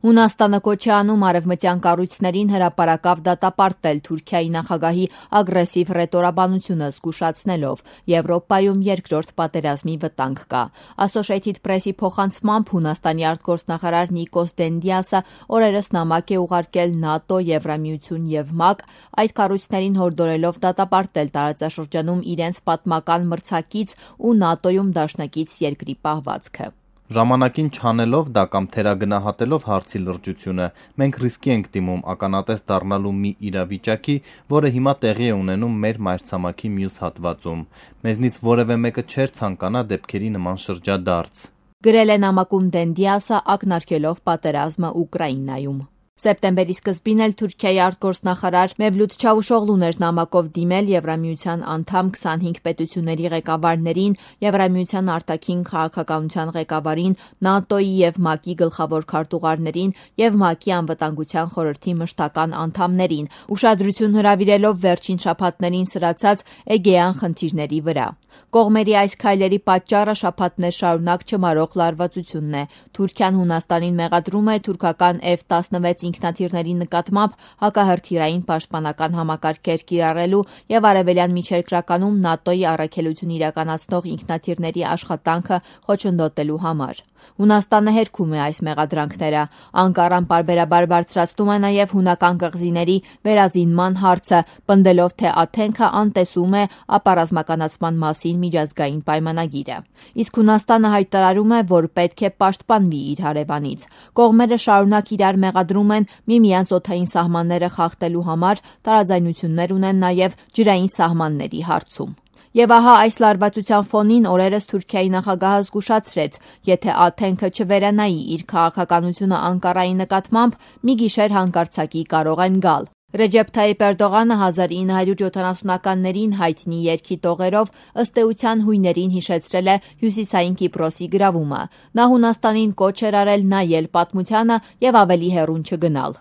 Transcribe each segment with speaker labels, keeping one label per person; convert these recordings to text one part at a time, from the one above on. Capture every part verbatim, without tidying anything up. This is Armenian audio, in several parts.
Speaker 1: Հունաստանը կոչ է անում արևմտյան կառույցներին հրապարակավ դատապարտել Թուրքիայի նախագահի ագրեսիվ ռետորաբանությունը զգուշացնելով. Եվրոպայում երկրորդ պատերազմի վտանգ կա։ Associated Press-ի փոխանցմամբ Հունաստանի արտգործնախարար Նիկոս Դենդիասը օրերս նամակ է ուղարկել ՆԱՏՕ, Եվրամիություն եւ ՄԱԿ, այդ կառույցներին հորդորելով դատապարտել տարածաշրջանում իրենց պատմական մրցակից ու ՆԱՏՕ-ում դաշնակից երկրի պահվածքը։
Speaker 2: Ժամանակին չանելով դա կամ թերագնահատելով հարցի լրջությունը, մենք ռիսկի ենք դիմում ականատես դառնալու մի իրավիճակի, որը հիմա տեղի է ունենում մեր մայրցամաքի մյուս հատվածում։ Մեզնից որևէ մեկը չէր ցանկանա դեպքերի նման շրջադարձ։
Speaker 1: Գրել է նամակում Դենդիասը, ակնարկելով պատերազմը Ուկրաինայում։ Սեպտեմբերի սկզբին էլ Թուրքիայի արտգործնախարար Մևլութ Չավուշօղլուն էր նամակով դիմել Եվրամիության անդամ քսանհինգ պետությունների ղեկավարներին, Եվրամիության արտաքին քաղաքականության ղեկավարին, ՆԱՏՕ-ի եւ ՄԱԿ-ի գլխավոր քարտուղարներին եւ ՄԱԿ-ի անվտանգության խորհրդի մշտական անդամներին, ուշադրություն հրավիրելով վերջին շաբաթներին սրացած Էգեյան խնդիրների վրա։ Կողմերի այս քայլերի պատճառը շաբաթներ շարունակ չմարող լարվածությունն է։ Թուրքիան Հունաստանին մեղադրում է թուրքական F տասնվեց ինքնաթիռների նկատմամբ հակահրթիռային պաշտպանական համակարգեր կիրառելու եւ արևելյան միջերկրականում ՆԱՏՕ-ի առաքելություն իրականացնող ինքնաթիռների աշխատանքը խոչընդոտելու համար։ Հունաստանը հերքում է այս մեղադրանքները։ Անկարան պարբերաբար բարձրացնում է նաեւ հունական կղզիների վերազինման հարցը, պնդելով, թե Աթենքը անտեսում է ապառազմականացման մասին միջազգային պայմանագիրը։ Իսկ Հունաստանը հայտարարում է, որ պետք է պաշտպանվի իր հարևանից։ Կողմերը շարունակ իրար մեղադրում են միմյանց օդային սահմանները խախտելու համար, տարաձայնություններ ունեն նաեւ ջրային սահմանների հարցում։ Եվ ահա այս լարվածության ֆոնին օրերս Թուրքիայի նախագահը զգուշացրեց, եթե Աթենքը չվերանայի իր քաղաքականությունը Անկարայի նկատմամբ, մի գիշեր հանկարծակի կարող են գալ։ Ռեջեփ Թայիփ Էրդողանը հազար ինը հարյուր յոթանասունականներին հայտնի երգի տողերով ըստ էության հույներին հիշեցրել է Հյուսիսային Կիպրոսի գրավումը։ Նա Հունաստանին կոչ էր արել նայել պատմությանը եւ ավելի հեռուն չգնալ։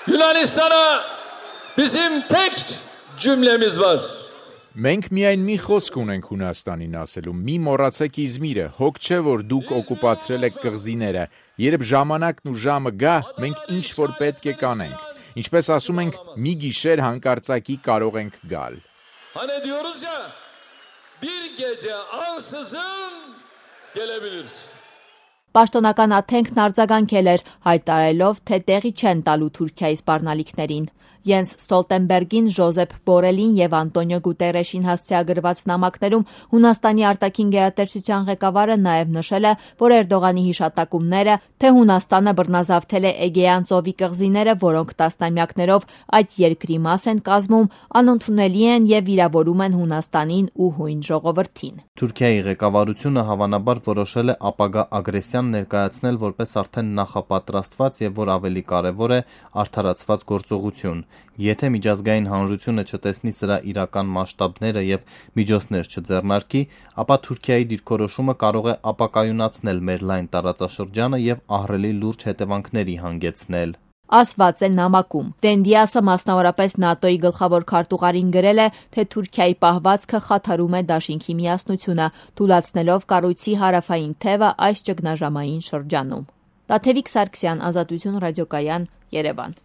Speaker 3: Yunanistan'a bizim tek cümlemiz var.
Speaker 4: Մենք միայն մի խոսք ունենք Հունաստանին ասելու՝ մի մոռացեք Իզմիրը, հոգ չէ, որ դուք օկուպացրել եք կղզիները, երբ ժամանակն ու ժամը գա, մենք ինչ որ պետք է կանենք, ինչպես ասում ենք, մի գիշեր հանկարծակի կարող ենք գալ։
Speaker 3: Hani diyoruz ya, bir gece ansızın gelebiliriz.
Speaker 1: Պաշտոնական Աթենքն արձագանքել էր, հայտարարելով, թե տեղի չեն տալու Թուրքիայի սպառնալիքներին։ Յենս Ստոլտենբերգին, Ժոզեփ Բորելին եւ Անտոնիո Գուտերեշին հասցեագրված նամակներում Հունաստանի արտաքին գերատեսչության ղեկավարը նաեւ նշել է, որ Էրդողանի հիշատակումները, թե Հունաստանը բռնազավթել է Էգեյան ծովի կղզիները, որոնք տասնամյակներով այդ երկրի մաս են կազմում, անընդունելի են եւ վիրավորում են Հունաստանին ու հույն ժողովրդին։
Speaker 2: Թուրքիայի ղեկավարությունը հավանաբար որոշել է ապագա ագրեսիան ներկայացնել որպես արդեն նախապատրաստված եւ որ ավելի կարեւոր է արդարացված գործողություն։ Եթե միջազգային հանրությունը չտեսնի սրա իրական մասշտաբները եւ միջոցներ չձեռնարկի, ապա Թուրքիայի դիրքորոշումը կարող է ապակայունացնել մեր լայն տարածաշրջանը եւ ահռելի լուրջ հետևանքների հանգեցնել։
Speaker 1: Ասված է նամակում։ Դենդիասը մասնավորապես ՆԱՏՕ-ի գլխավոր քարտուղարին գրել է, թե Թուրքիայի պահվածքը խաթարում է դաշինքի միասնությունը, թուլացնելով կառույցի հարավային թևը այս ճգնաժամային շրջանում։ Տաթևիկ Սարգսյան, Ազատություն ռադիոկայան, Երևան։